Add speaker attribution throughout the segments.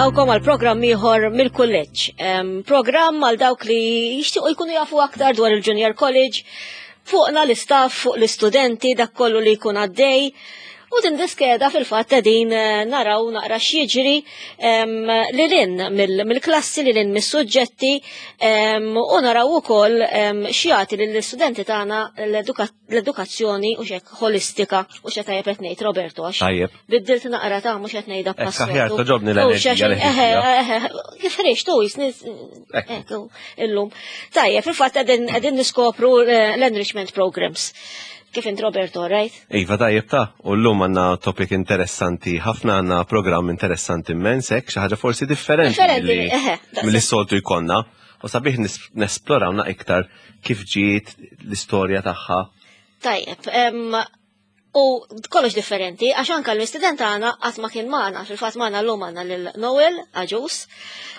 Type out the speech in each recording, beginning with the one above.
Speaker 1: nilqawkom għal programm ieħor mill-kulleġġ. Programm għal dawk li jixtiequ jkunu jafu aktar dwar il-Junior College, fuqna l-istaff, fuq l-istudenti, dak kollu li jkun għaddej. U din diskeda fil-fatt qegħdin eh, naraw naqra x'jiġri lil hinn mill-klassi lil hinn mis-suġġetti u naraw ukoll x'jagħti lill-istudenti tagħna l-edukazzjoni u xek holistika u xe tajjeb qed ngħid Roberto għax.
Speaker 2: Tajjeb.
Speaker 1: Biddilt naqra ta' mhux qed ngħidha
Speaker 2: pass. Aħjar toġobni l-enerġija.
Speaker 1: Kif ħriġ tu jisni illum. Tajjeb, fil-fatt qegħdin niskopru eh, l-enrichment programs. Kif int Roberto, right?
Speaker 2: Iva tajjeb ta' u llum għandna topic interessanti ħafna għandna programm interessanti immens hekk xi ħaġa forsi differenti milli soltu jkollna u sabiħ nesplorawna iktar kif ġiet l-istorja tagħha.
Speaker 1: Tajjeb, u kollox differenti, għax anka l-istudent għana qatt ma kien magħna, fil-fatt magħna llum għandna lil Noel Aġus.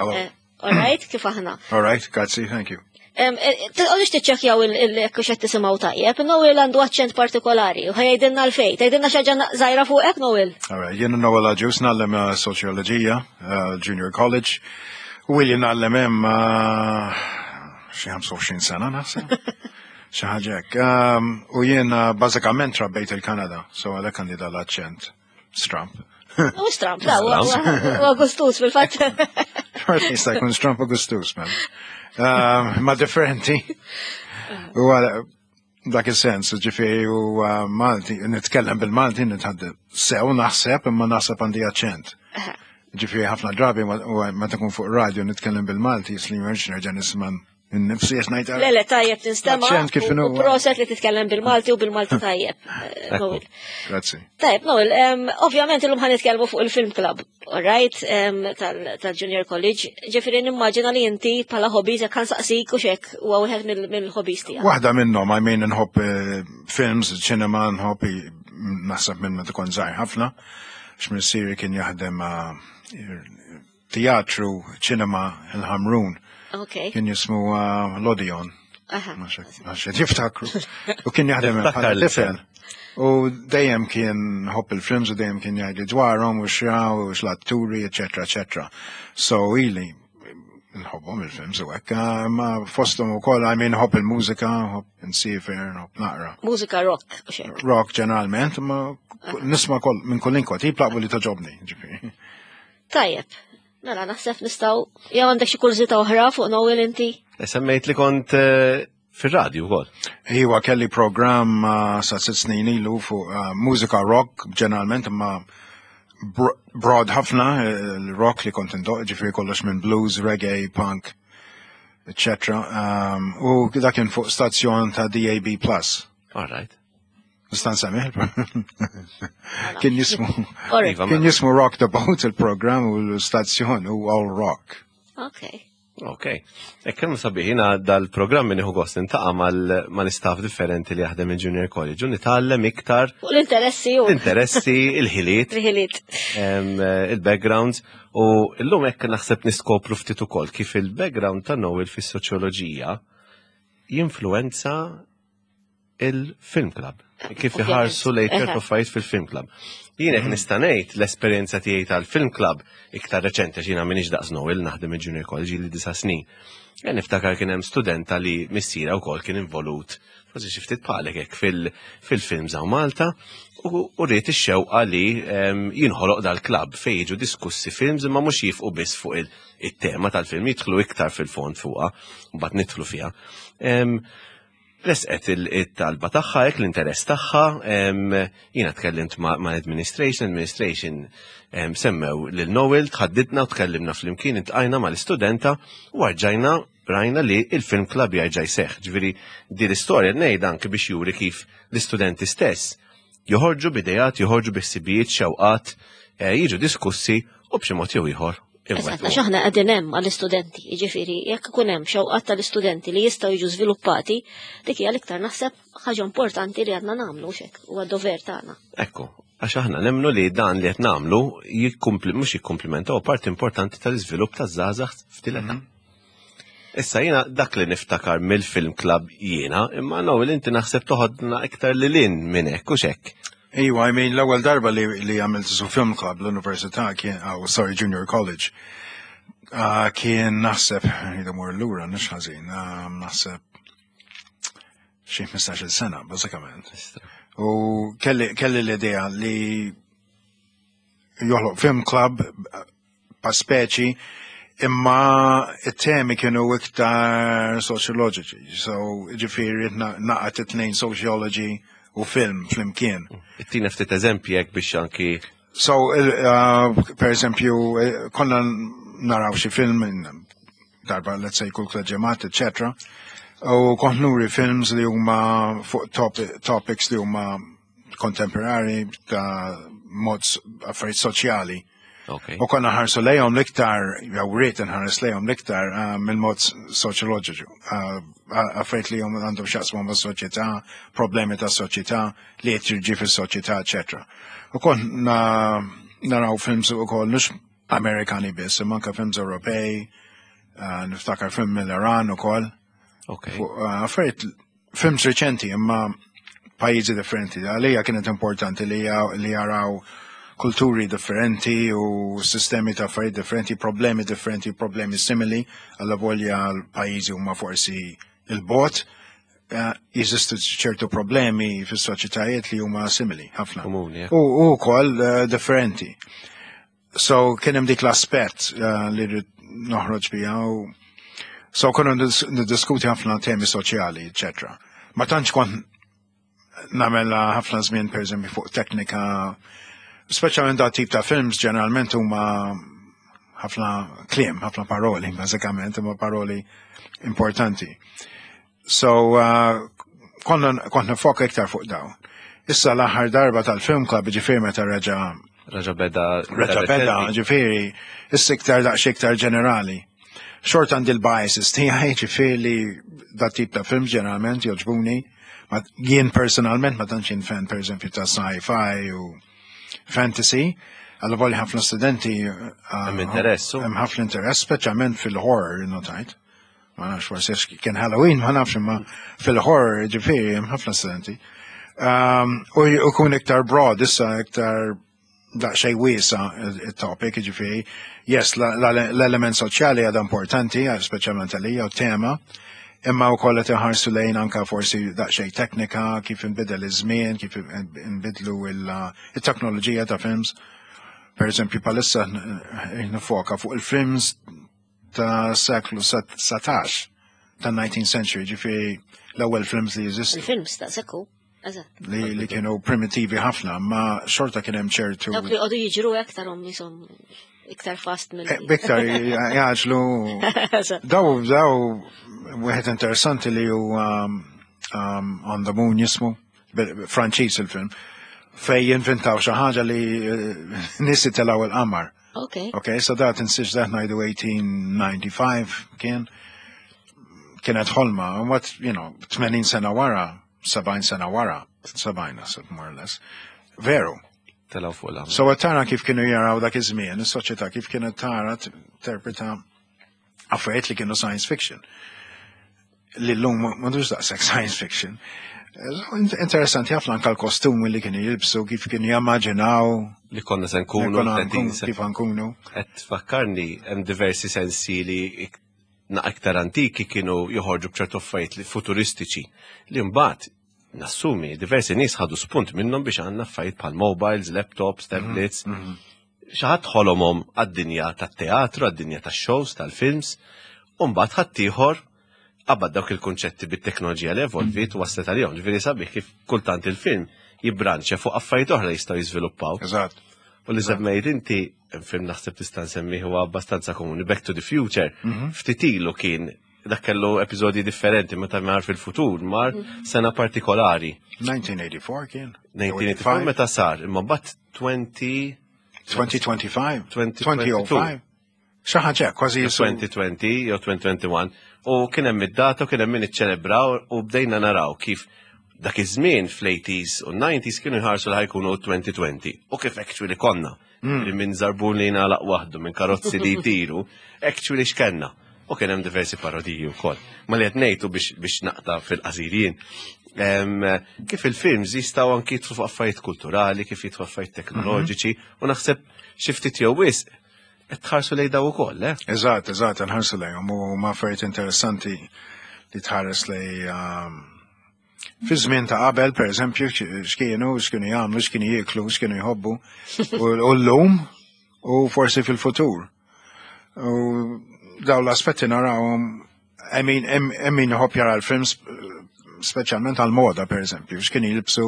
Speaker 1: Eh, all right, kif aħna?
Speaker 3: All right, grazzi, thank you.
Speaker 1: Eh, Tqogħdux tiċċekkjaw il-kux qed tisimgħu tajjeb, Noel għandu aċċent partikolari u ħajdilna l-fejn, tgħidilna xi ħaġa żgħira fuqek Noel.
Speaker 3: All right, jiena Noel Aġus nagħllem eh, soċjoloġija, eh, Junior College, u ili nagħllem hemm xi 25 sena naħseb. Xi ħaġa hekk. Ehm, u jiena bażikament trabbejt il-Kanada, so għalhekk għandi dal-aċċent. Stramp.
Speaker 1: U stramp, da, u gustus fil-fatt.
Speaker 3: Xort jista' jkun stramp u gustus, man. Ehm, ma differenti. U dak il-sens, ġifieri u uh, Malti, nitkellem bil-Malti, nitħadde sew naħseb, imma naħseb għandi aċċent. Ġifieri ħafna drabi meta kun fuq radio nitkellem bil-Malti, jisli nerġa' nisma' Nifsi qed ngħid.
Speaker 1: Le le tajjeb tinstema'
Speaker 3: Aċċent kif inhu.
Speaker 1: Proset li titkellem bil-Malti u bil-Malti tajjeb. Eh, Noel.
Speaker 3: Grazzi.
Speaker 1: Tajjeb, Noel, ovvjament illum ħan nitkellmu fuq il-film club, all right, tal-Junior College. Ġifieri nimmaġina li inti bħala hobbies jekk saqsik u xek huwa wieħed mill-hobbies tiegħek.
Speaker 3: Waħda minnhom, I mean nħobb eh, films, ċinema, nħobb naħseb minn meta kont żgħir ħafna, x'missieri kien jaħdem eh, teatru, ċinema, il-Ħamrun.
Speaker 1: Okay.
Speaker 3: Kien jismu uh, l-Odeon. Għax jiftakru. U kien jaħdem bħala tifel. U dejjem kien ħobb il-films u dejjem kien jgħidli dwarhom u xraw u x'l-atturi, eċetera, eċetera. So ili nħobbhom il-films u hekk, ah, ma fosthom ukoll I mean nħobb il-mużika, nħobb nsifer, nħobb naqra.
Speaker 1: Mużika rock u xejn.
Speaker 3: Rock ġeneralment, ma nisma' kol minn kull inkwa tip laqbu li toġobni, ġifieri.
Speaker 1: Tajjeb, mela naħseb nistgħu jew għandek xi kurżità oħra fuq Noel inti?
Speaker 2: E semmejt li kont eh, fir-radju wkoll.
Speaker 3: Iwa kelli programm eh, sa sitt snin ilu fuq eh, mużika rock ġeneralment imma broad ħafna l-rock li kont indoq ġifieri kollox minn blues, reggae, punk, etc. Um, u dak kien fuq stazzjon ta' DAB+.
Speaker 2: All right.
Speaker 3: Nista' nsemmih Kien jismu iva, kien jismu Rock the Boat il-programm u l-stazzjon u All Rock.
Speaker 1: Okay.
Speaker 2: Ok. E kemm sabiħ jiena dal-programm nieħu gost nintaqa' mal-istaff differenti li jaħdem il-Junior College u nitgħallem iktar.
Speaker 1: U l-interessi
Speaker 2: u. L-interessi, il-ħiliet.
Speaker 1: Il-ħiliet.
Speaker 2: Il-backgrounds. U llum hekk naħseb niskopru ftit ukoll kif il-background ta' Noel fis-soċjoloġija jinfluwenza il-film club. Kif iħarsu lejn ċertu affarijiet fil-film club. Jien hekk nista' ngħid l-esperjenza tiegħi tal-film club iktar reċenti għax jiena m'iniex daqs Noel naħdem il-Junior College li disa' snin. Jien niftakar kien hemm studenta li missiera wkoll kien involut forsi xi ftit bħalek hekk fil-films hawn Malta u rrid ix-xewqa li ehm, jinħoloq dal-klabb fejn jiġu diskussi films imma mhux jifqu biss fuq it-tema tal-film jidħlu iktar fil-fond fuqha u mbagħad nidħlu fiha. Ehm, Resqet it-talba tagħha hekk l-interess tagħha, jiena tkellimt ma' administration, administration semmew lil Noel, tħaddidna u tkellimna flimkien intqajna mal-istudenta u arġajna rajna li il-film club jarġa' jseħħ. Ġifieri din l-istorja ngħid anke biex juri kif l-istudenti stess joħorġu b'idejat, joħorġu bi ħsibijiet, xewqat, eh, jiġu diskussi u b'xi mod jew ieħor.
Speaker 1: Eżatt, għax aħna qegħdin hemm għall-istudenti, jiġifieri jekk ikun hemm xewqat tal-istudenti li jistgħu jiġu żviluppati, dik hija l-iktar naħseb ħaġa importanti li għandna nagħmlu xek, huwa dover tagħna.
Speaker 2: Ekku, għax aħna nemmnu li dan li qed nagħmlu jikkumpli mhux jikkumplimenta huwa parti importanti tal-iżvilupp taż-żgħażagħ f'din mhm. Issa jiena dak li niftakar mill-film club jiena, imma Noel inti naħseb toħodna iktar lil hinn minn hekk u x'hekk.
Speaker 3: Iwa, I mean, l-ewwel darba li għamilt su film club l-università kien, oh, sorry, junior college, kien naħseb, jidu mur lura, nix ħażin, naħseb xi 15-il sena, bażikament. U kelli l-idea li joħloq film club pa speċi imma it-temi kienu iktar soċjoloġiċi. So, ġifieri naqgħet it-tnejn sociology u film flimkien.
Speaker 2: Ittina ftit eżempji hekk biex anki.
Speaker 3: So, per eżempju, konna naraw xi film darba, let's say, kull ġimgħat, etc. U kont nuri films li huma fuq topics li huma kontemporari ta' mod affarijiet soċjali. U konna ħarsu lejhom l-iktar, jew rrid nħares lejhom l-iktar mill-mod soċjoloġiku. Affarijiet li hum għandhom x'jaqsmu ma' soċjetà, problemi ta' soċjetà, li qed jiġi fis-soċjetà, eċetera. U konna naraw films ukoll mhux Amerikani biss, imma anke films Ewropej, niftakar film mill-Iran ukoll. Affarijiet films reċenti imma pajjiżi differenti. Għalija kienet importanti li jaraw kulturi differenti u sistemi ta' affarijiet differenti, problemi differenti, problemi simili, għalla volja l-pajjiżi huma forsi il-bot, jeżistu ċertu problemi fis-soċjetajiet li huma simili ħafna.
Speaker 2: Komuni,
Speaker 3: U wkoll differenti. So kien hemm dik l-aspett li rrid noħroġ biha u so konna niddiskuti ħafna temi soċjali, eċetera. Ma tantx kont nagħmel ħafna żmien pereżempju fuq teknika, speċjalment da tip ta' films ġeneralment huma ħafna kliem, ħafna paroli, bażikament, huma paroli importanti. So, konna kont nifoka iktar fuq dawn. Issa l-aħħar darba tal-film club, ġifieri meta reġa'
Speaker 2: Reġa beda.
Speaker 3: Reġa beda, ġifieri, issa iktar daqs iktar ġenerali. Xort għandi l-biases tiegħi, ġifieri li da tip ta' film ġeneralment jogħġbuni. Ma jien personalment ma tantx jien fan per eżempju ta' sci-fi u fantasy. Għalla volja ħafna studenti
Speaker 2: Hemm interess, u?
Speaker 3: Hemm ħafna interess, speċjalment fil-horror, notajt. Ma nafx forsi għax kien Halloween, ma nafx imma fil-horror ġifieri hemm ħafna studenti. U jkun iktar broad, issa iktar daqsxejn wiesa il-topic, ġifieri, yes, l-element soċjali għadha importanti, speċjalment għalija u tema, imma wkoll qed iħarsu lejn anka forsi daqsxejn teknika, kif inbidel iż-żmien, kif inbidlu il-teknoloġija ta' films. Per eżempju, palissa nifoka fuq il-films ta' seklu 19, ta' 19th century, ġifieri l-ewwel films li jeżistu.
Speaker 1: Il-films ta' sekku. Eżatt.
Speaker 3: Li kienu primitivi ħafna, ma xorta kien hemm ċertu.
Speaker 1: Dawk li qogħdu jiġru aktar hom jisom iktar fast mill.
Speaker 3: Biktar jaġlu.
Speaker 1: Eżatt.
Speaker 3: Daw wieħed interessanti li hu On the Moon jismu, Franċiż il-film, fej jinventaw xi ħaġa li nies telgħu il-qamar. Ok, so dat insiex dat ngħidu 1895 kien kienet ħolma, u what, 80 sena wara, 70 sena wara, 70 naħseb more or less. Veru.
Speaker 2: Telgħu fuq l
Speaker 3: So tara kif kienu jaraw dak iż-żmien, is-soċjetà kif kienet tara interpreta affarijiet li kienu science fiction. Li llum m'għandux daqshekk science fiction. Interessanti ħafna anka l-kostumi li kienu jilbsu, kif kienu jammaġinaw.
Speaker 2: Li konna se nkunu,
Speaker 3: Li konna
Speaker 2: 30
Speaker 3: nkunu, kif nkunu.
Speaker 2: Qed tfakkarni hemm diversi sensi li na iktar antiki kienu joħorġu b'ċertu affarijiet li futuristiċi li mbagħad nassumi diversi nies ħadu spunt minnhom biex għandna affarijiet bħal mobiles, laptops, tablets. Xi ħadd ħolomhom għad-dinja tat-teatru, għad-dinja tax-shows, tal-films, u mbagħad ħaddieħor qabad dawk il-kunċetti bit-teknoloġija li evolviet u waslet għalihom. Ġifieri sabiħ kif kultant il-film jibbranċja fuq affarijiet oħra jistgħu jiżviluppaw. U li semmejt inti, film naħseb tista' nsemmi huwa abbastanza komuni, Back to the Future, ftit ilu kien dak kellu episodji differenti meta mar fil-futur, mar sena partikolari.
Speaker 3: 1984 kien.
Speaker 2: 1984 meta sar, imma mbagħad 20
Speaker 3: 2025.
Speaker 2: 2022.
Speaker 3: 2005. Xi ħaġa kważi jisu.
Speaker 2: 2020 jew 2021 u kien hemm id-data u kien hemm min iċċelebraw u bdejna naraw kif dak iż-żmien fl-80s u 90s kienu jħarsu li ħa jkunu 2020 u kif actually konna. Li minn żarbun li jingħalaq waħdu, minn karozzi li jtiru, actually x'kenna. U kien hemm diversi parodiji wkoll. Ma li qed ngħidu biex naqta' fil-qasir jien. Kif il-films jistgħu anki jidħlu fuq affarijiet kulturali, kif jidħlu affarijiet teknoloġiċi, u naħseb xi ftit jew wisq qed tħarsu lejn daw ukoll, eh?
Speaker 3: Eżatt, nħarsu lejhom u ma affarijiet interessanti li tħares lej fi żmien ta' qabel, per eżempju, x'kienu jagħmlu, x'kienu jieklu, x'kienu jħobbu, u llum u forsi fil-futur. U daw l-aspetti narawhom, I mean, hemm min iħobb jara l-films speċjalment għal-moda, per eżempju, x'kienu jilbsu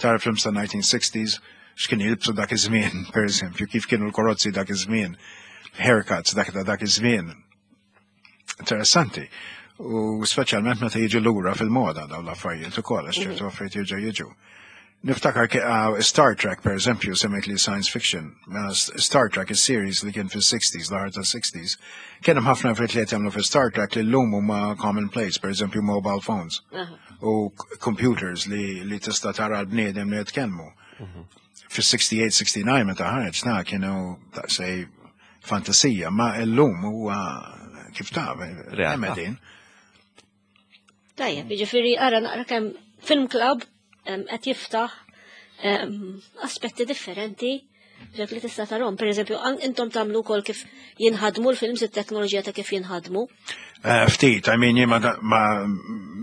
Speaker 3: tara films ta' 1960s, x'kienu jilbsu dak iż-żmien, per eżempju, kif kienu l-karozzi dak iż-żmien, haircuts dak ta' dak iż-żmien. Interessanti. U speċjalment meta jiġu lura fil-moda dawn l-affarijiet ukoll, għax ċertu affarijiet jerġgħu jiġu. Niftakar Star Trek, per eżempju, semmejt li science fiction. Mela Star Trek, is-series li kien fis-60s, l-aħħar tas-60s, kien hemm ħafna affarijiet li qed jagħmlu fi Star Trek li llum huma commonplace, per eżempju mobile phones u computers li tista' tara l-bniedem li jitkellmu. Fis-68, 69 meta ħareġ na kienu daqsej fantasija, ma llum huwa kif taf,
Speaker 2: Realtà.
Speaker 3: hemm qegħdin.
Speaker 1: Tajjeb, jiġifieri ara naqra kemm Film Club qed jiftaħ aspetti differenti ġek li tista' tarhom. Per eżempju, intom tagħmlu wkoll kif jinħadmu l-films, it-teknoloġija ta' kif jinħadmu.
Speaker 3: Ftit, I mean, jien ma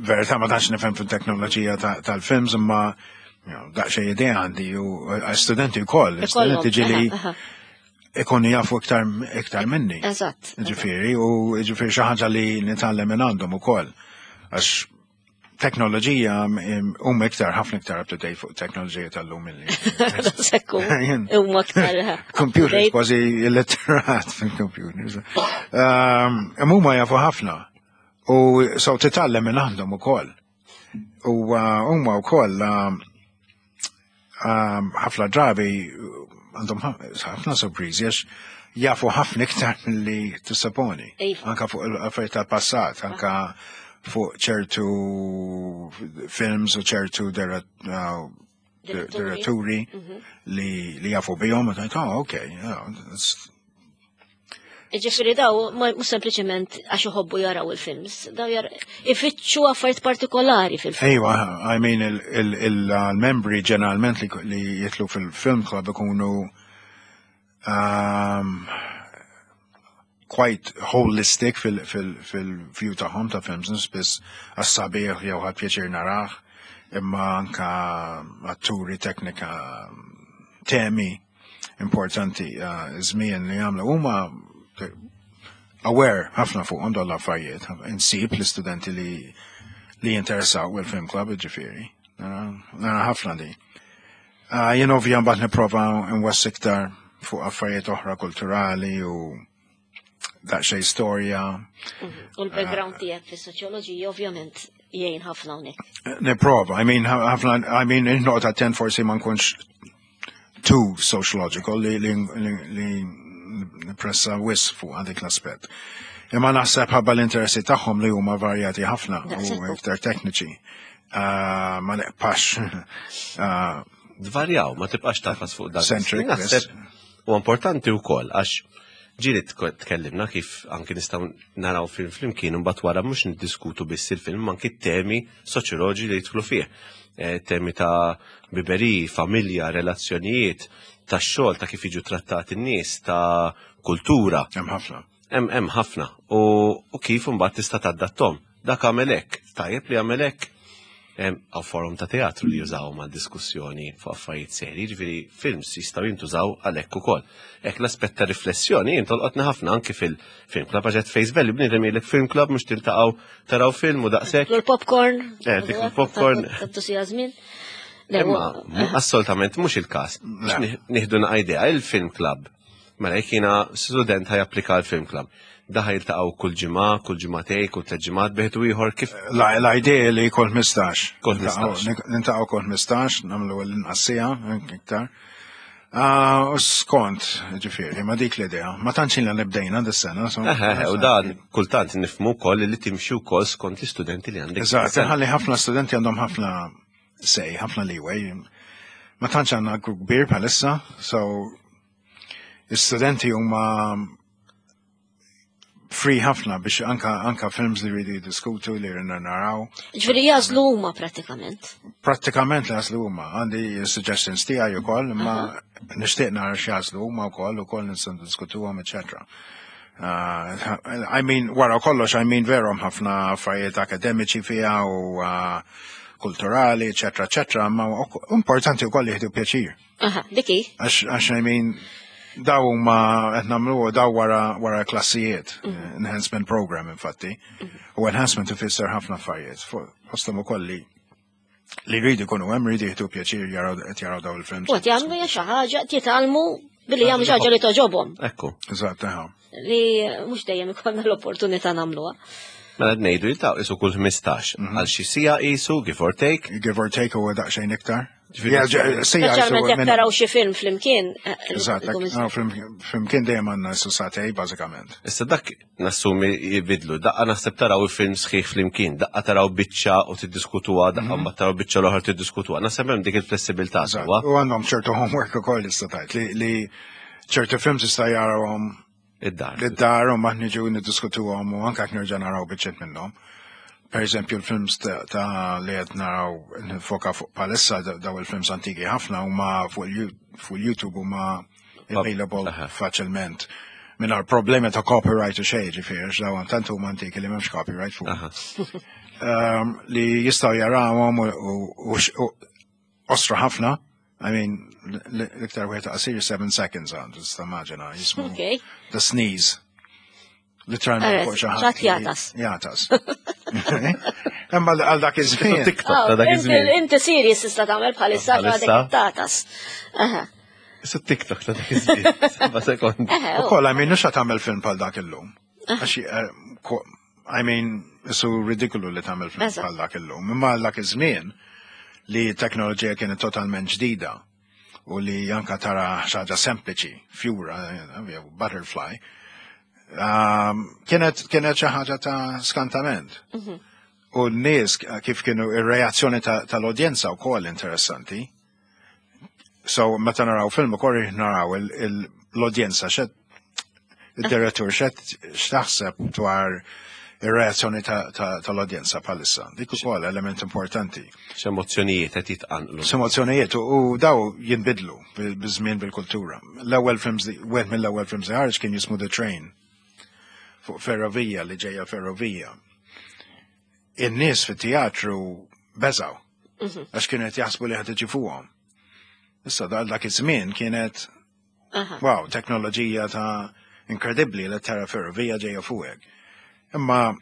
Speaker 3: verità ma tantx nifhem fil-teknoloġija tal-films, imma daqsxejn idea għandi u studenti wkoll, studenti ġieli ikunu jafu iktar minni. Ġifieri, u ġifieri xi ħaġa li nitgħallem minn għandhom ukoll. Għax teknoloġija huma iktar ħafna iktar up to date fuq teknoloġija tal-lum milli.
Speaker 1: Sekku. Huma iktar.
Speaker 3: Computers, kważi illiterat fil-computers. Imma huma jafu ħafna. U so titgħallem minn għandhom ukoll. U huma wkoll ħafna drabi għandhom ħafna sorpriżi għax jafu ħafna iktar milli tissaponi. Anka fuq l-affarijiet tal-passat, anka fuq ċertu films u ċertu diretturi li jafu bihom, u tgħid, oh, okay, yeah,
Speaker 1: Ġifieri daw, mhux sempliċement għax iħobbu jaraw il-films, daw ifittxu affarijiet partikolari fil-film.
Speaker 3: Ejwa, I mean, il-membri ġeneralment li jidħlu fil-film club ikunu quite holistic fil-view tagħhom ta' films, mhux biss għas-sabiħ jew ħadt pjaċir narah, imma anka atturi, teknika, temi importanti, żmien li jagħmlu huma aware ħafna fuq dawn l-affarijiet. Insib l-istudenti li jinteressaw il-film club, ġifieri. Nara ħafna di. Jien ovvja mbagħad nipprova nwassi iktar fuq affarijiet oħra kulturali u daqsxejn storja.
Speaker 1: U l-background tiegħek fis-soċjoloġija ovvjament jgħin ħafna hawnhekk.
Speaker 3: Nipprova, I mean, ħafna, I mean, noqgħod attent forsi ma nkunx too sociological li pressa wisq fuq għadik l-aspett. Imma naħseb ħabba l-interessi tagħhom li huma varjati ħafna u iktar tekniċi. Ma neqpax.
Speaker 2: Dvarjaw, ma tibqax tafas fuq dak.
Speaker 3: Centric,
Speaker 2: Naħseb
Speaker 3: yes.
Speaker 2: u importanti wkoll għax ġieli tkellimna kif anki nistgħu naraw film flimkien u mbagħad wara mhux niddiskutu biss il-film anki temi soċjoloġi li jidħlu fih. Temi ta' biberi, familja, relazzjonijiet, ta' xogħol, ta' kif jiġu trattati n-nies, ta' kultura.
Speaker 3: Hemm ħafna.
Speaker 2: Hemm ħafna. U kif imbagħad tista' tadattom. Dak għamel hekk, tajjeb li għamel hekk. Għaw forum ta' teatru li jużaw ma' diskussjoni fuq affarijiet seri, ġifieri films jistgħu jintużaw għalhekk ukoll. Hekk l-aspett ta' riflessjoni jintolqotna ħafna anki fil-film club għax face value bniedem jgħidlek film club mhux tiltaqgħu taraw film u daqshekk.
Speaker 1: Tiklu l-popcorn.
Speaker 2: Tiklu l-popcorn.
Speaker 1: Tattu sija żmien.
Speaker 2: Imma assolutament mhux il-każ. Nieħdu naqa' idea il-film club. Mela jekk jiena student ħa japplika l-film club. Daħ jiltaqgħu kull ġimgħa, kull ġimgħatej, kull tliet ġimgħat bejt u ieħor kif
Speaker 3: L-idea li kull 15.
Speaker 2: Kull 15.
Speaker 3: Niltaqgħu kull 15, nagħmlu l-inqas siegħa, iktar. U skont, ġifieri, ma dik l-idea. Ma tantx ilna nibdejna dis-sena.
Speaker 2: U dan kultant nifhmu wkoll li timxi wkoll skont l-istudenti li għandek.
Speaker 3: Eżatt, ħalli ħafna studenti għandhom ħafna sej, ħafna leeway. Ma tantx għandna grupp kbir bħalissa, so l-istudenti huma Free ħafna biex anka films li rridu jiddiskutu li rridna naraw.
Speaker 1: Ġifieri jagħżlu huma prattikament.
Speaker 3: Prattikament li jagħżlu huma. Għandi suggestions tiegħi ukoll, imma nixtieq nara x'jagħżlu huma wkoll ukoll nistgħu niddiskutuhom, eċetera. I mean, wara kollox, I mean, veru ħafna affarijiet akademiċi fiha u kulturali, eċetera, eċetera, ma importanti wkoll jieħdu pjaċir.
Speaker 1: Aha, diki.
Speaker 3: Għax, I mean, daw huma qed nagħmlu daw wara wara klassijiet, enhancement program infatti. U enhancement ifisser ħafna affarijiet. Fosthom ukoll li jridu jkunu hemm, jridu jieħdu pjaċir jaraw qed jaraw daw il-films.
Speaker 1: U qed jagħmlu xi ħaġa, jitgħallmu billi jagħmlu xi ħaġa li togħġobhom.
Speaker 2: Ekku.
Speaker 3: Eżatt, aha.
Speaker 1: Li mhux dejjem ikollna l-opportunità nagħmluha.
Speaker 2: Mela ngħidu jiltaqgħu qisu kull 15 għal xi siegħa qisu give or take.
Speaker 3: Give or take huwa daqsxejn iktar.
Speaker 1: Speċjalment jekk taraw xi film flimkien.
Speaker 3: Eżatt, flimkien dejjem għandna su sagħtejn bażikament.
Speaker 2: Issa dak nassumi jibidlu, daqqa naħseb taraw il-film sħiħ flimkien, daqqa taraw biċċa u tiddiskutuha, daqqa mbagħad taraw biċċa l-oħra tiddiskutuha. Naħseb hemm dik il-flessibilità sewwa.
Speaker 3: U għandhom ċertu homework ukoll issa tajt li ċertu films jista' jarawhom
Speaker 2: id-dar.
Speaker 3: Id-dar u ma niġu niddiskutuhom u anke nerġa' naraw biċċiet minnhom. Per eżempju, il-films ta' li qed naraw nifoka fuq palissa daw il-films antiki ħafna huma fuq il-YouTube huma available faċilment. Mingħajr problemi ta' copyright u xejn, ġifieri, għax dawn tant huma antiki li m'hemmx copyright fuq. Li jistgħu jarawhom u osra ħafna. I mean, l-iktar wieħed qasir 7 seconds għandu, tista' immaġina, jismu The Sneeze. Literalment fuq xi ħadd.
Speaker 1: Jagħtas.
Speaker 3: Jagħtas. Imma għal dak iż-żmien.
Speaker 2: TikTok ta' dak iż-żmien.
Speaker 1: Inti serious tista' tagħmel bħalissa għadek tagħtas.
Speaker 2: Issa TikTok ta' dak iż-żmien. 7 sekondi.
Speaker 3: Ukoll, I mean, mhux tagħmel film bħal dak illum. Għax, I mean, isu ridikolu li tagħmel film bħal dak illum. Imma għal dak iż-żmien li teknoloġija kienet totalment ġdida u li anka tara xi ħaġa sempliċi, fjura, jew butterfly, kienet xi ħaġa ta' skantament. U n-nies kif kienu ir-reazzjoni tal-udjenza wkoll interessanti. So meta naraw film ukoll naraw l-udjenza xed id-direttur xed x'taħseb dwar ir-reazzjoni tal-udjenza bħalissa. Dik ukoll element importanti.
Speaker 2: X'emozzjonijiet qed jitqanqlu.
Speaker 3: X'emozzjonijiet u daw jinbidlu biż-żmien bil-kultura. L-ewwel films, wieħed mill-ewwel films li ħareġ kien jismu The Train. Fuq ferrovija li ġejja ferrovija. In-nies fit-teatru beżaw. Għax kienu qed jaħsbu li ħad tiġi fuqhom. Issa dak iż-żmien kienet wow, teknoloġija ta' inkredibbli li tara ferrovija ġejja fuqek. Imma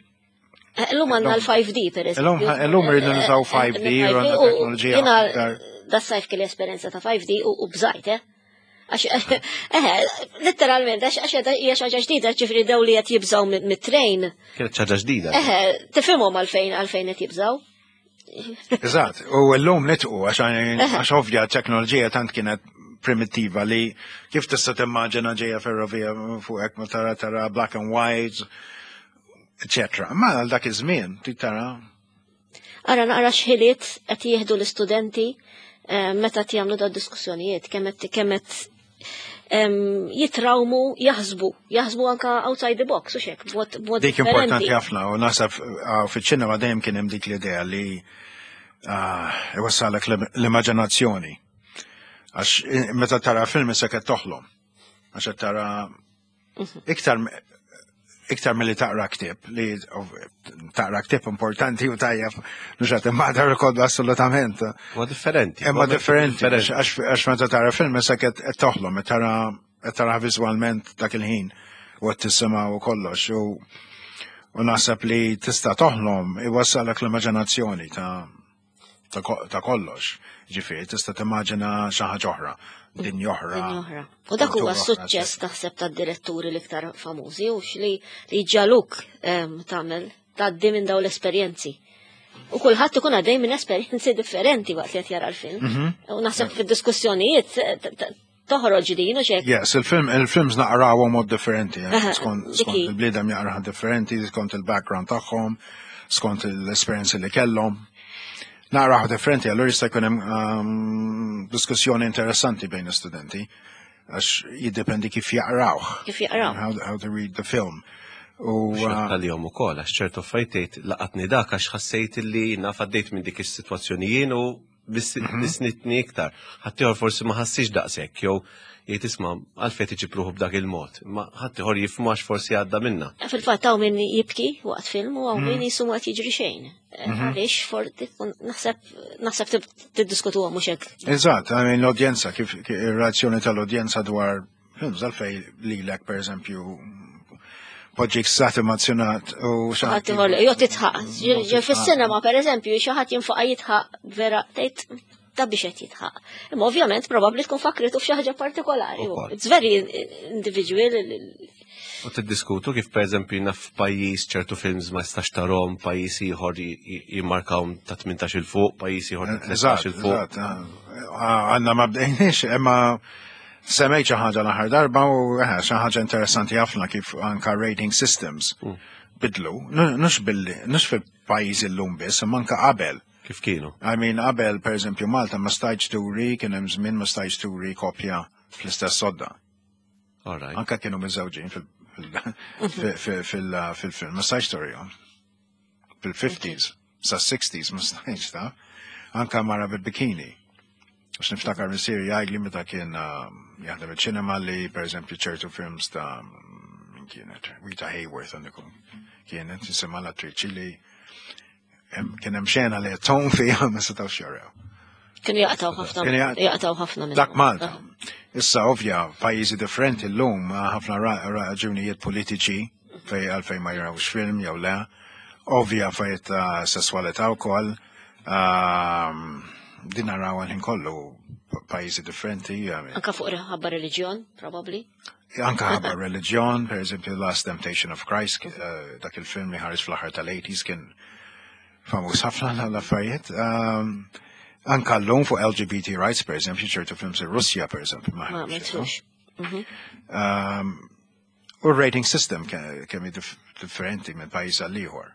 Speaker 1: Illum għandna l-5D per eżempju.
Speaker 3: Illum rridu nużaw 5D, u għandna teknoloġija aktar.
Speaker 1: Da sajf kelli esperjenza ta' 5D u bżajt, eh? Għax, letteralment, għax hija xi ħaġa ġdida, ġifieri daw li qed jibżaw mit-train.
Speaker 2: Kienet xi ħaġa ġdida.
Speaker 1: Eħe, tifhimhom għalfejn qed jibżaw.
Speaker 3: Eżatt, u llum nitqu għax ovvja teknoloġija tant kienet primittiva li kif tista' timmaġina ġejja ferrovija fuqek ma tara black and white, eccetera. Ma għal dak iż-żmien trid tara.
Speaker 1: Ara naqra x'ħiliet qed jieħdu l-istudenti meta qed jagħmlu da diskussjonijiet, kemm qed jitrawmu jaħsbu anka outside the box u xek, b'mod
Speaker 3: Dik importanti ħafna u naħseb fiċ-ċinema dejjem kien hemm dik l-idea li iwassalek l-immaġinazzjoni. Għax meta tara film issa qed toħlom. Għax qed tara iktar milli taqra ktieb, li taqra ktieb importanti u tajjeb, mhux qed immadar ukoll assolutament.
Speaker 2: Huwa differenti.
Speaker 3: Imma differenti, għax meta tara film issa qed toħlom, qed tara viżwalment dak il-ħin u qed tisimgħu u kollox. U naħseb li tista' toħlom iwassalek l-immaġinazzjoni ta' kollox. Ġifieri tista' timmaġina xi ħaġa oħra, dinja oħra.
Speaker 1: Dinja oħra. U dak huwa suċċess taħseb tad-diretturi l-iktar famużi u li ġaluk tagħmel tgħaddi minn dawn l-esperjenzi. U kulħadd ikun għaddej minn esperjenzi differenti waqt li qed jara l-film. U naħseb fid-diskussjonijiet toħroġ din u xek.
Speaker 3: Yes, il-films naqrawhom mod differenti, skont il-bliedem jaqraha differenti, skont il-background tagħhom, skont l-esperjenzi li kellhom. Naqraw differenti, allura jista' jkun hemm diskussjoni interessanti bejn l-istudenti, għax jiddependi kif jaqrawh.
Speaker 1: Kif jaqraw.
Speaker 3: How to read the film. U
Speaker 2: Tal-jom ukoll għax ċertu affarijiet laqatni dak għax ħassejt li naf għaddejt minn dik is-sitwazzjoni jien u bisnitni iktar. Ħaddieħor forsi ma ħassix daqshekk jew jgħid isma' għalfejn tiġi pruħu b'dak il-mod. Ma ħaddieħor jifhmu għax forsi għadda minna.
Speaker 1: Fil-fatt hawn min jibki waqt film u hawn min jisu ma jiġri xejn. Għaliex forti naħseb naħseb tiddiskutuha mhux hekk.
Speaker 3: Eżatt, I mean l-udjenza, kif ir-reazzjoni tal-udjenza dwar films għalfej lilek per eżempju poġġik sat emozjonat u xi
Speaker 1: ħadd ieħor jew titħaq. Ġe fis-sinema pereżempju xi ħadd jinfaqa' jitħaq vera tgħid ta' biex qed jitħaq. Imma ovvjament probabbli tkun fakritu f'xi ħaġa partikolari.
Speaker 2: Ukoll.
Speaker 1: It's very individual.
Speaker 2: U tiddiskutu kif pereżempju naf f'pajjiż ċertu films ma jistax tarhom, pajjiż ieħor jimmarkawhom ta' 18 il fuq, pajjiż ieħor ta' 13 il fuq.
Speaker 3: Eżatt, għandna ma bdejniex, imma semmejt xi ħaġa l-aħħar darba u eh, xi ħaġa interessanti ħafna kif anka rating systems bidlu, nux billi, nux fil-pajjiż illum biss, imma anka qabel.
Speaker 2: Kif kienu?
Speaker 3: I mean, qabel, per eżempju, Malta ma stajtx turi, kien hemm żmien ma stajtx turi kopja fl-istess sodda.
Speaker 2: All right.
Speaker 3: Anka kienu miżewġin fil-film, ma stajtx turihom. Fil-50s, sa 60s ma stajtx ta' anka mara bil-bikini. Għax niftakar missieri jgħidli meta kien jaħdem il-ċinema li per eżempju ċertu films ta' min kienet, Rita Hayworth għandikum kienet, jisimha l-attriċi li kien hemm xena li tgħum fiha ma setgħux jaraw.
Speaker 1: Kienu jaqtaw ħafna
Speaker 3: Kienu jaqtaw.
Speaker 1: jaqtaw ħafna minn.
Speaker 3: Dak Malta. Issa ovvja pajjiżi differenti llum ħafna raġunijiet politiċi fej għalfejn ma jarawx film jew le. Ovvja affarijiet ta' sesswalità wkoll. Din naraw għal ħin kollu pajjiżi differenti. I mean,
Speaker 1: Anka fuq ħabba reliġjon, probably.
Speaker 3: Anka ħabba reliġjon, per eżempju Last Temptation of Christ, dak il-film li ħareġ fl-aħħar tal-80s kien famuż ħafna l-affarijiet. Anka l-lum fuq LGBT rights, per eżempju, ċertu films in Russja, per eżempju, ma
Speaker 1: Ma ma
Speaker 3: ħarġux,
Speaker 1: jidħlux.
Speaker 3: U rating system kemm hi differenti minn pajjiż għal ieħor.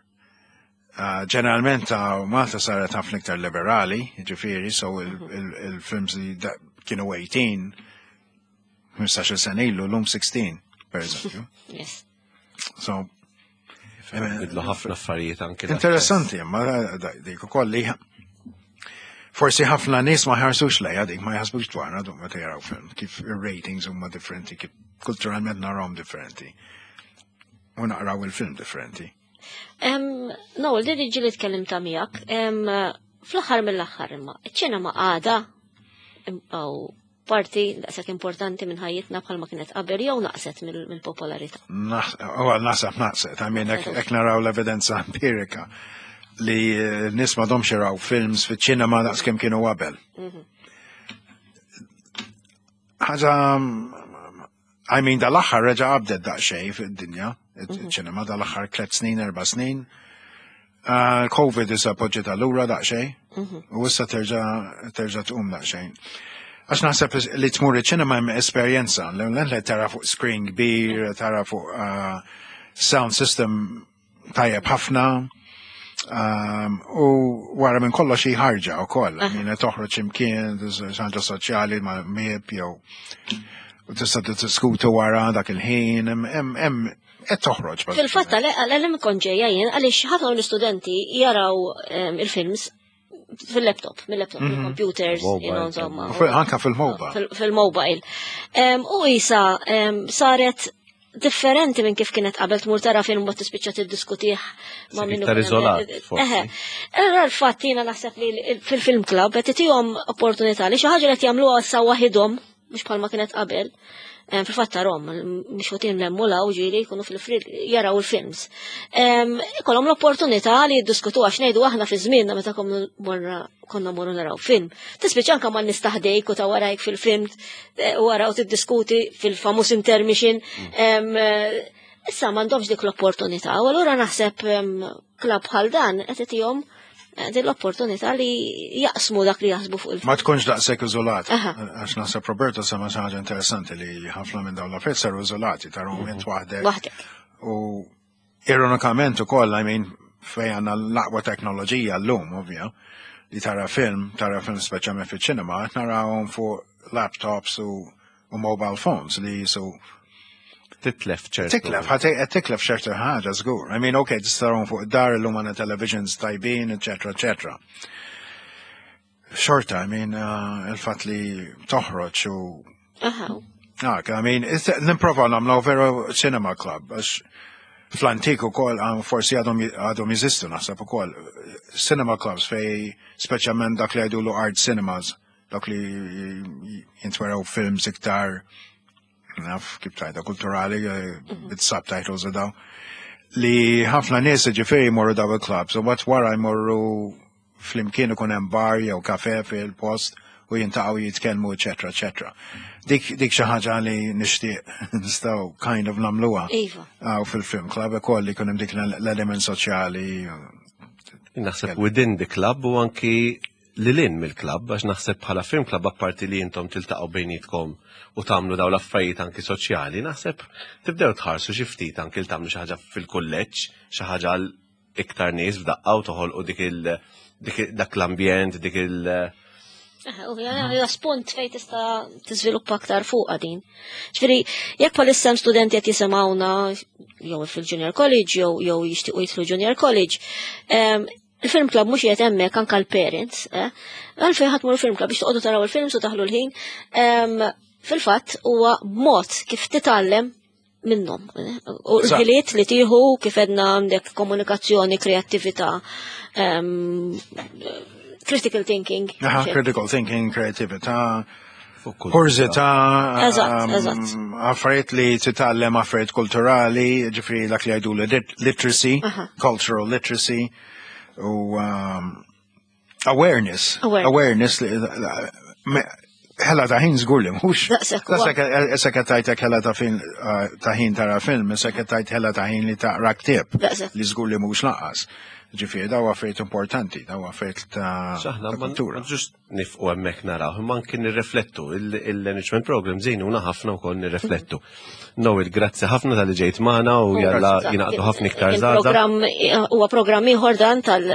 Speaker 3: Ġeneralment ta' Malta saret ħafna iktar liberali, ġifieri, so il-films li kienu 18, 15 sena ilu, l-lum 16, per eżempju.
Speaker 1: Yes.
Speaker 3: So,
Speaker 2: Bidlu ħafna affarijiet anke.
Speaker 3: Interessanti, imma dik ukoll li forsi ħafna nies ma ħarsux lejha dik, ma jaħsbux dwarha dum meta jaraw film, kif ir-ratings huma differenti, kif kulturalment narawhom differenti. U naqraw il-film differenti.
Speaker 1: Noel, din ġili tkellim ta' miegħek, fl-aħħar mill-aħħar imma, iċ-ċinema għada u parti daqshekk importanti minn ħajjitna bħalma kienet qabel jew naqset mill-popolarità.
Speaker 3: Naħseb naqset, I mean, hekk naraw l-evidenza empirika li n-nies m'għadhomx jaraw films fiċ-ċinema daqs kemm kienu qabel. Ħaġa, I mean, dal-aħħar reġa' qabdet daqsxejn fid-dinja, iċ-ċinema dal-aħħar 3 snin, 4 snin. Covid issa poġġiet lura daqsxejn u issa terġa' tqum daqsxejn. Għax naħseb li tmur iċ-ċinema hemm esperjenza, li tara fuq screen kbir, tara fuq sound system tajjeb ħafna, u wara minn kollox xi ħarġa wkoll, min toħroġ imkien, ħaġa soċjali ma' mieb jew u tista' tiddiskutu wara dak il-ħin, hemm qed toħroġ.
Speaker 1: Fil-fatt għal kont ġejja jien għaliex ħafna mill-istudenti jaraw il-films fil-laptop, mill-laptop, mill-computers,
Speaker 2: Mobile,
Speaker 1: insomma.
Speaker 3: Anka fil-mobile.
Speaker 1: Fil-mobile. U isa saret differenti minn kif kienet qabel tmur tara film ma tispiċċa tiddiskutih ma' minnu.
Speaker 2: Iktar iżolat, forsi.
Speaker 1: Eħe. Allura l-fatt jiena naħseb li fil-film club qed itihom opportunità li xi ħaġa li qed jagħmluha issa waħidhom, mhux bħalma kienet qabel. Fil-fatt tarhom, mhux ħotin lemmu law ġieli jkunu fil-frid jaraw il-films. Ikollhom l-opportunità li jiddiskutu għax ngħidu aħna fi żmienna meta konna morru naraw film. Tispiċċa anke ma nistaħdejk u ta' warajk fil-film, wara u tiddiskuti fil-famuż intermission. Issa m'għandhomx dik l-opportunità, u allura naħseb klabb bħal dan qed itihom din l-opportunità li jaqsmu dak li jaħsbu fuq il-film.
Speaker 3: Ma tkunx daqshekk iżolat. Għax naħseb Roberto sema xi ħaġa interessanti li ħafna minn dawn l-affarijiet saru iżolati, tarahom int waħdek.
Speaker 1: Waħdek.
Speaker 3: U ironikament ukoll, I mean, fejn għandna l-aqwa teknoloġija llum, ovvja, li tara film, tara film speċjalment fiċ-ċinema, qed narawhom fuq laptops u mobile phones li jisu.
Speaker 2: Titlef ċertu.
Speaker 3: Titlef, ħa titlef ċertu ħaġa żgur. I mean, okay, tista' fuq id-dar illum għandna televisions tajbin, eccetera, eccetera. Xorta, I mean, il-fatt li toħroġ u Ah, I mean, nipprova nagħmlu veru cinema club, għax fl-antik ukoll, forsi għadhom jeżistu naħseb ukoll, cinema clubs fej speċjalment dak li jgħidulu art cinemas, dak li jintweraw films iktar, naf kif tgħidha, kulturali, bit-subtitles u daw, li ħafna nies ġifieri jmorru daw il-clubs, u mbagħad wara jmorru flimkien ikun hemm bar jew kafe fil-post u jiltaqgħu jitkellmu, eċetera, eċetera. Dik xi ħaġa li nixtieq nistgħu kind of nagħmluha. Iva. Fil-film club ukoll li jkun hemm dik l-element soċjali.
Speaker 2: Naħseb within the club u anki lil hinn mill-club, għax naħseb bħala film club apparti li intom tiltaqgħu bejnietkom u tagħmlu daw l-affarijiet anki soċjali, naħseb tibdew tħarsu xi ftit anki li tagħmlu xi ħaġa fil-kulleġġ, xi ħaġa għal iktar nies f'daqqa u toħolqu dik il dak l-ambjent, dik il-
Speaker 1: U hija spunt fej tista' tiżviluppa aktar fuq din. Ġifieri, jekk bħalissa hemm studenti qed jisimgħuna jew fil-Junior College jew jixtiequ jidħlu Junior College, il-film club mhux qiegħed hemmhekk anke l-parents, eh? Għalfejn ħadd mur film club biex toqgħodu taraw il-films u taħlu l-ħin. Fil-fatt huwa mod kif titgħallem minnhom. Eh? U l-ħiliet li tieħu kif għedna għandek komunikazzjoni, kreattività, critical thinking.
Speaker 3: Aha, critical thinking, kreatività, kurżità,
Speaker 1: Eżatt,
Speaker 3: affarijiet li titgħallem affarijiet kulturali, ġifieri dak li jgħidu literacy, cultural literacy, u awareness.
Speaker 1: Awareness.
Speaker 3: Awareness li ħela ta' ħin żgur li mhux.
Speaker 1: Daqshekk
Speaker 3: Issa qed tgħidlek ħela ta' fin ta' ħin tara film, issa qed tgħid ħela ta' ħin li taqra ktieb.
Speaker 1: Daqshekk.
Speaker 3: Li żgur li mhux lanqas. Ġifieri daw affarijiet importanti, daw affarijiet ta'
Speaker 2: X'aħna
Speaker 3: ta'
Speaker 2: ma
Speaker 3: kultura.
Speaker 2: ġust nieqfu hemmhekk naraw, imma anki nirriflettu, il-enrichment program jgħinuna ħafna wkoll nirriflettu. Noel, grazzi ħafna talli ġejt magħna u jalla jingħaqdu ħafna iktar żgħażagħ.
Speaker 1: Il-programm huwa programm ieħor dan tal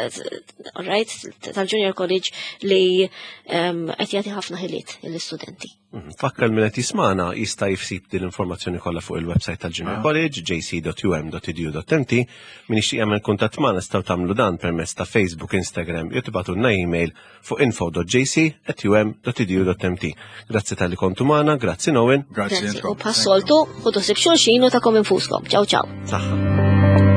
Speaker 1: right, tal-Junior College li qed jagħti ħafna ħiliet lill-istudenti.
Speaker 2: Fakkar min qed jismagħna jista' jsib din l-informazzjoni kollha fuq il-website tal-Junior College jc.um.edu.mt. Min jixtieq jagħmel kuntatt magħna tistgħu tagħmlu dan permezz ta' Facebook, Instagram jew tibagħtulna email fuq info.jc@um.edu.mt. Grazzi talli kontu magħna, grazzi Noel.
Speaker 3: Grazzi
Speaker 1: U
Speaker 3: intkom.
Speaker 1: bħas-soltu, ħudu ħsieb xulxin u tagħkom infuskom. Ciao ciao.
Speaker 2: Saħħa.